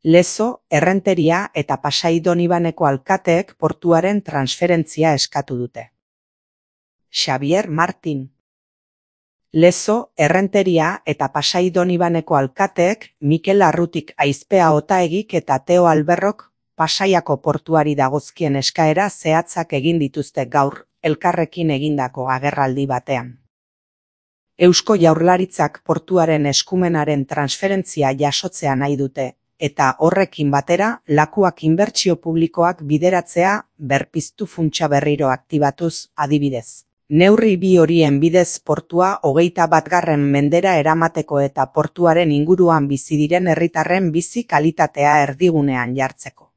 Lezo, Errenteria eta Pasai Donibaneko alkateek portuaren transferentzia eskatu dute. Xabier Martin. Lezo, Errenteria eta Pasai Donibaneko alkateek Mikel Arrutik Aizpea Otaegik eta Teo Alberrok Pasaiako portuari dagozkien eskaera zehatzak egin dituzte gaur, elkarrekin egindako agerraldi batean. Eusko Jaurlaritzak portuaren eskumenaren transferentzia jasotzea nahi dute, eta horrekin batera lakuak inbertsio publikoak bideratzea berpiztu funtsa berriro aktibatuz adibidez. Neurri bi horien bidez portua 21. mendera eramateko eta portuaren inguruan bizi diren herritarren bizi kalitatea erdigunean jartzeko.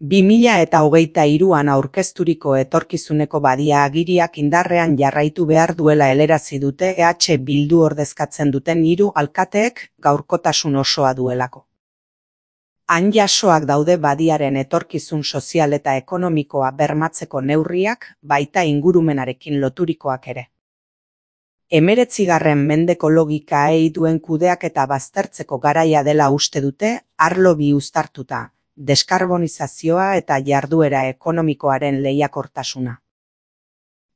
2023an aurkezturiko etorkizuneko badia agiriak indarrean jarraitu behar duela helarazi dute EH Bildu ordezkatzen duten 3 alkateek gaurkotasun osoa duelako. Han jasoak daude badiaren etorkizun sozial eta ekonomikoa bermatzeko neurriak, baita ingurumenarekin loturikoak ere. 19. mendeko logikaei duen kudeaketa baztertzeko garaia dela uste dute, arlo bi uztartuta, deskarbonizazioa eta jarduera ekonomikoaren lehiakortasuna.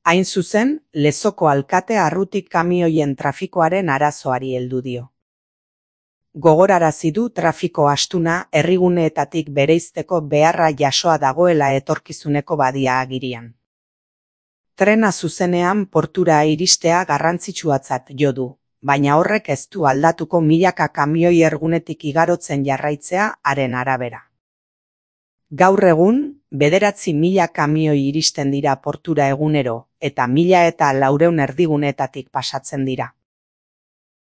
Hain zuzen, Lezoko alkate Arrutik kamioien trafikoaren arazoari heldu dio. Gogorarazi du trafiko astuna herriguneetatik bereizteko beharra jasoa dagoela etorkizuneko badia agirian. Trena zuzenean portura iristea garrantzitsuatzat jo du, baina horrek ez du aldatuko milaka kamioi ergunetik igarotzen jarraitzea haren arabera. Gaur egun, 9.000 kamioi iristen dira portura egunero, eta 1.400 erdiguneetatik pasatzen dira.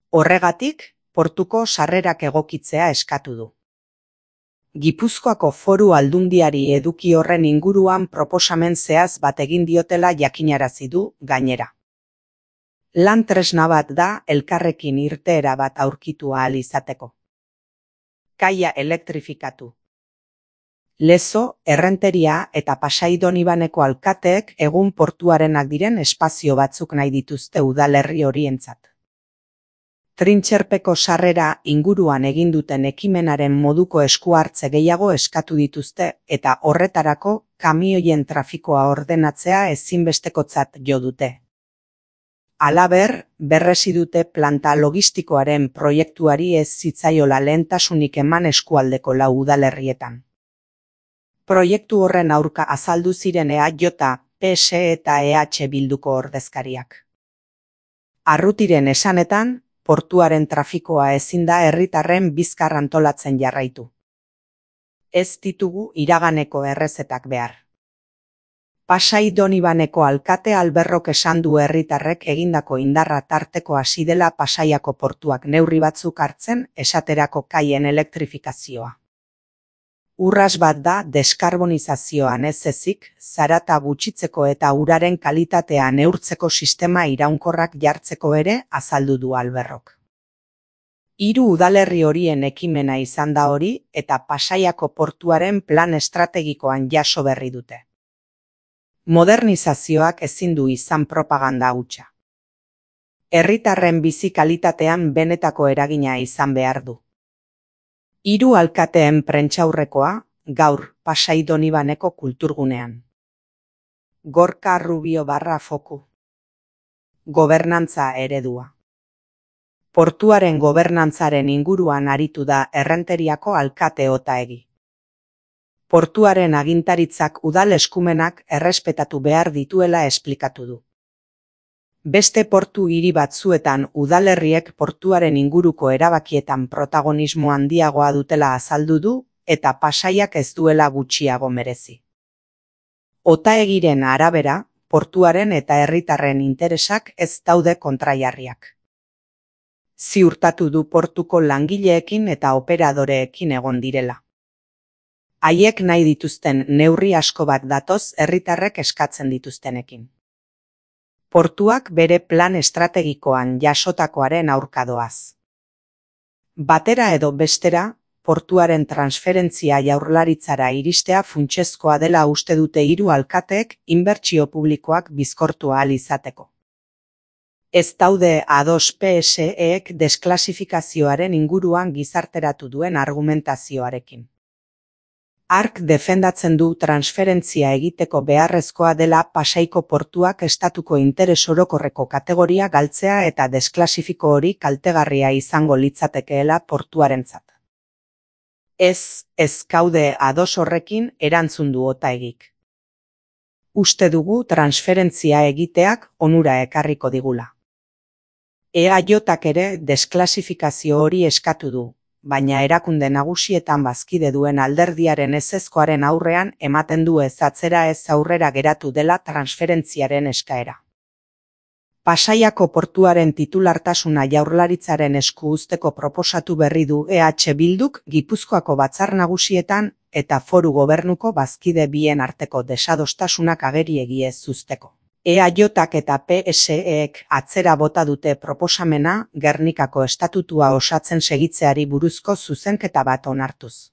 Horregatik, portuko sarrerak egokitzea eskatu du. Gipuzkoako Foru Aldundiari eduki horren inguruan proposamen zehaz bat egin diotela jakinarazi du, gainera. Lan tresna bat da elkarrekin irteera bat aurkitu ahal izateko. Kaia elektrifikatu. Lezo, Errenteria eta Pasai Donibaneko alkateek egun portuarenak diren espazio batzuk nahi dituzte udalerri horientzat. Trintxerpeko sarrera inguruan egin duten ekimenaren moduko esku hartze gehiago eskatu dituzte eta horretarako kamioien trafikoa ordenatzea ezinbestekotzat jo dute. Halaber, berresi dute planta logistikoaren proiektuari ez zitzaiola lehentasunik eman eskualdeko 4 udalerrietan. Proiektu horren aurka azaldu ziren EAJ, PS eta EH Bilduko ordezkariak. Arrutiren esanetan, portuaren trafikoa ezin da herritarren bizkar antolatzen jarraitu. Ez ditugu iraganeko errezetak behar. Pasai Donibaneko alkate Alberrok esan du herritarrek egindako indarra tarteko hasi dela Pasaiako portuak neurri batzuk hartzen esaterako kaien elektrifikazioa. Urras bat da deskarbonizazioan ez ezik, zarata gutxitzeko eta uraren kalitatea neurtzeko sistema iraunkorrak jartzeko ere azaldu du Alberrok. 3 udalerri horien ekimena izan da hori eta Pasaiako portuaren plan estrategikoan jaso berri dute. Modernizazioak ezin du izan propaganda hutsa. Herritarren bizi kalitatean benetako eragina izan behar du. 3 alkateen prentsaurrekoa, gaur, Pasai Donibaneko kulturgunean. Gorka Rubio _foku. Gobernantza eredua. Portuaren gobernantzaren inguruan aritu da Errenteriako alkate Otaegi. Portuaren agintaritzak udal eskumenak errespetatu behar dituela esplikatu du. Beste portu hiri batzuetan udalerriek portuaren inguruko erabakietan protagonismo handiagoa dutela azaldu du eta Pasaiak ez duela gutxiago merezi. Otaegiren arabera, portuaren eta herritarren interesak ez daude kontrajarriak. Ziurtatu du portuko langileekin eta operadoreekin egon direla. Haiek nahi dituzten neurri asko bat datoz herritarrek eskatzen dituztenekin. Portuak bere plan estrategikoan jasotakoaren aurka doaz. Batera edo bestera, portuaren transferentzia Jaurlaritzara iristea funtsezkoa dela uste dute 3 alkateek inbertsio publikoak bizkortu ahal izateko. Ez daude ados PSEek desklasifikazioaren inguruan gizarteratu duen argumentazioarekin. Hark defendatzen du transferentzia egiteko beharrezkoa dela Pasaiko portuak estatuko interes orokorreko kategoria galtzea eta desklasifiko hori kaltegarria izango litzatekeela portuarentzat. Ez gaude ados horrekin, erantzun du Otaegik. Uste dugu transferentzia egiteak onura ekarriko digula. EAJak ere desklasifikazio hori eskatu du, baina erakunde nagusietan bazkide duen alderdiaren ezezkoaren aurrean ematen du ez atzera ez aurrera geratu dela transferentziaren eskaera. Pasaiako portuaren titulartasuna Jaurlaritzaren esku uzteko proposatu berri du EH Bilduk Gipuzkoako batzar nagusietan eta foru gobernuko bazkide bien arteko desadostasunak ageriegi ez uzteko. EAJak eta PSEek atzera bota dute proposamena Gernikako estatutua osatzen segitzeari buruzko zuzenketa bat onartuz.